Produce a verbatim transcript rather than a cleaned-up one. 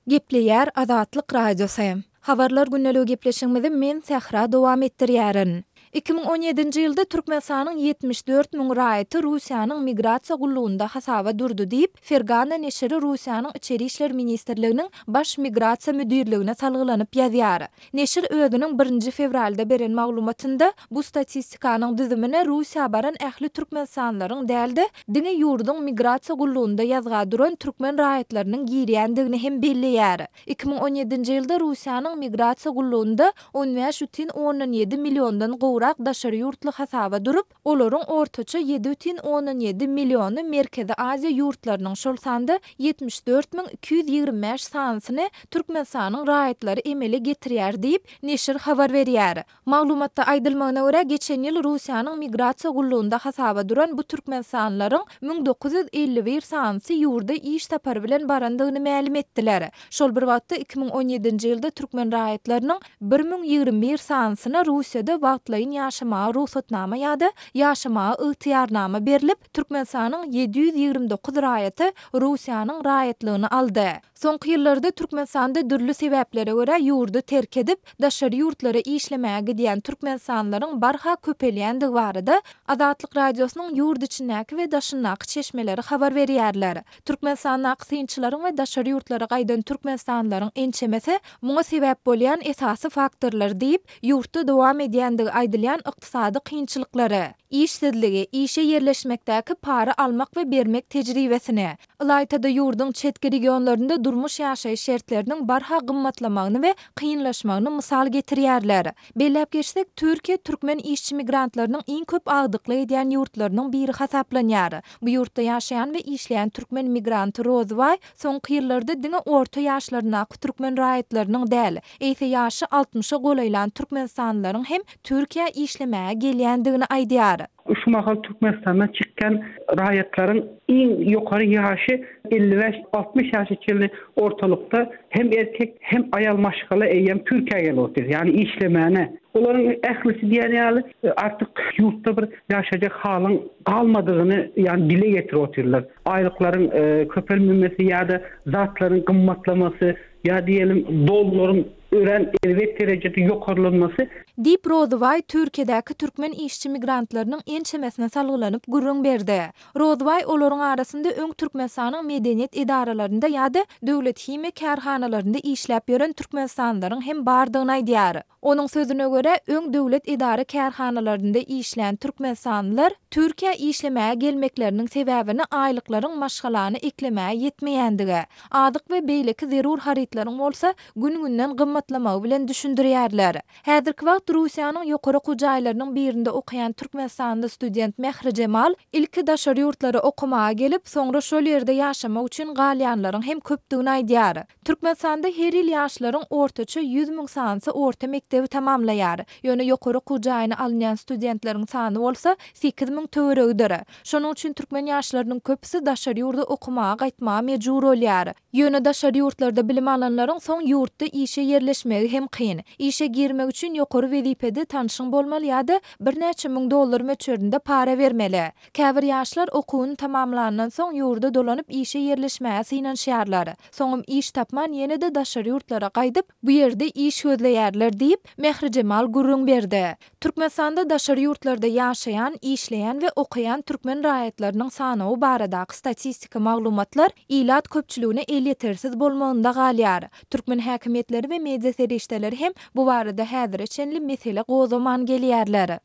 Gepleýär Azatlyk Radiosy. Habarlar gündeligi gepleşigimizi men Sähra dowam etdirýärin. Iki müň on ýedinji ýylda Türkmenistanyň ýetmiş dört müň raýaty Russiýanyň migrasiýa gullugynda hasaba durdy diýip, Fergana neşiri Russiýanyň Içeri işler ministrliginiň Baş migrasiýa müdirligine salgylanyp ýazýar. Neşir özüniň birinji fewralda beren maglumatynda bu statistikanyň düzümine Russiýa baran ähli türkmenistanlylaryň däl-de, diňe ýurduň migrasiýa gullugynda ýazga duran türkmen raýatlarynyň girýändigini hem belleýär. Iki müň on ýedinji ýylda Russiýanyň migrasiýa gullugynda on bäş bütin ondan ýedi milliondan gowrak daşary ýurtly hasaba durup, olaryň ortaça ýedi bütin ondan ýedi milliony Merkezi Aziýa ýurtlarynyň, şol sanda ýetmiş dört müň iki ýüz ýigrimi bäş sanysyny Türkmenistanyň raýatlary emele getirýär diýip, neşir habar berýär. Maglumatda aýdylmagyna görä, geçen ýyl Russiýanyň migrasiýa gullugynda hasaba duran bu türkmenistanlylaryň müň dokuz ýüz elli bir sanysy ýurda iş sapary bilen barandygyny mälim etdiler. Şol bir wagtda iki müň on ýedinji ýylda türkmen raýatlarynyň bir müň ýigrimi bir sanysyna Russiýada wagtlaýyn ýaşamaga rugsatnama ýa-da ýaşamaga ygtyýarnama berlip, Türkmenistanyň ýedi ýüz ýigrimi dokuz raýaty Russiýanyň raýatlygyny aldy. Soňky ýyllarda Türkmenistanda dürli sebäplere görä ýurdy terk edip, daşary ýurtlara işlemäge gidýän türkmenistanlylaryň barha köpelýändigi barada Azatlyk Radiosynyň ýurt içindäki we daşyndaky çeşmeleri habar berýärler. Türkmenistandaky synçylaryň we daşary ýurtlara gaýdan türkmenistanlylaryň ençemesi muňa sebäp bolýan esasy faktorlar diýip, ýurtda dowam edýändigi aýdylýan ykdysady kynçylyklary, işsizligi, işe ýerleşmekdäki para almak we bermek tejribesini, ylaýta-da ýurduň çetki regionlarynda durmuş ýaşaýyş şertleriniň barha gymmatlamagyny we kynlaşmagyny mysal getirýärler. Belläp geçsek, Türkiýe türkmen işçi migrantlarynyň iň köp agdyklyk edýän ýurtlarynyň biri hasaplanýar. Bu ýurtda ýaşaýan we işleýän türkmen migranty Rozybaý soňky ýyllarda diňe orta ýaşlaryndaky türkmen raýatlarynyň däl, eýse ýaşy altmyşa golaýlan türkmenistanlylaryň hem Türkiýä işlemäge gelýändigini aýdýar. Şu mahal Türkmenistandan çykýan raýatlaryň iň ýokary ýaşy elli bäş altmyş ýaşa çenli ortalykda hem erkek hem aýal maşgala eýýäm Türkiýä gelip otyr, ýagny işlemäne. Olaryň ählisi diýen ýaly artyk ýurtda bir ýaşajak halyň galmadygyny, ýagny dile getirip otyrlar. Aýlyklaryň, e, köpelmemesi ýa-da zatlaryň gymmatlamasy ýa diýelim dollaryň örän erbet derejede ýokarlanmasy. Diýip Rozybaý Türkiýedäki türkmen işçi migrantlarynyň ençemesine salgylanyp gürrüň berdi. Rozybaý olaryň arasynda öň Türkmenistanyň medeniýet edaralarynda ýa-da döwlet himiýa kärhanalarynda işläp ýören türkmenistanlylaryň hem bardygyny aýdýar. Onuň sözüne görä, öň döwlet edara kärhanalarynda işlän türkmenistanlylar Türkiýä işlemäge gelmekleriniň sebäbini aýlyklaryň maşgalany eklemäge ýetmeýändigi, azyk we beýleki zerur harytlaryň bolsa gün-günden gymmatlamagy bilen düşündirýärler. Häzirki wagt Russiýanyň ýokary okuw jaýlarynyň birinde okaýan türkmenistanly student Mähri Jemal ilki daşary ýurtlara okamaga gelip, soňra şol ýerde ýaşamak üçin galýanlaryň hem köpdügini aýdýar. Türkmenistanda her ýyl ýaşlaryň ortaça ýüz müň sanysy orta mekdebi tamamlaýar. Ýöne ýokary okuw jaýyna alynýan studentleriň sany bolsa sekiz müň töweregidir. Şonuň üçin türkmen ýaşlarynyň köpüsi daşary ýurda okamaga gaýtmaga mejbur bolýar. Ýöne daşary ýurtlarda bilim alanlaryň soň ýurtda işe ýerleşmegi hem kyn. Işe girmek üçin ýokary wezipede tanşyň bolmaly ýa-da birnäçe müň dollar möçberinde para bermeli. Käbir ýaşlar okuwyny tamamlandan soň ýurda dolanyp işe ýerleşmäge synanyşýarlar. Soňam iş tapman ýene-de daşary ýurtlara gaýdyp, bu ýerde iş gözleýärler diýip, Mähri Jemal gürrüň berdi. Türkmenistanda daşary ýurtlarda ýaşaýan, işleýän we okaýan türkmen raýatlarynyň sanawy baradaky statistika maglumatlar ilat köpçüligine elýetersiz bolmagynda galýar. Türkmen häkimiýetleri we media serişdeleri hem bu barada häzire çenli mesele gozgaman gelýärler.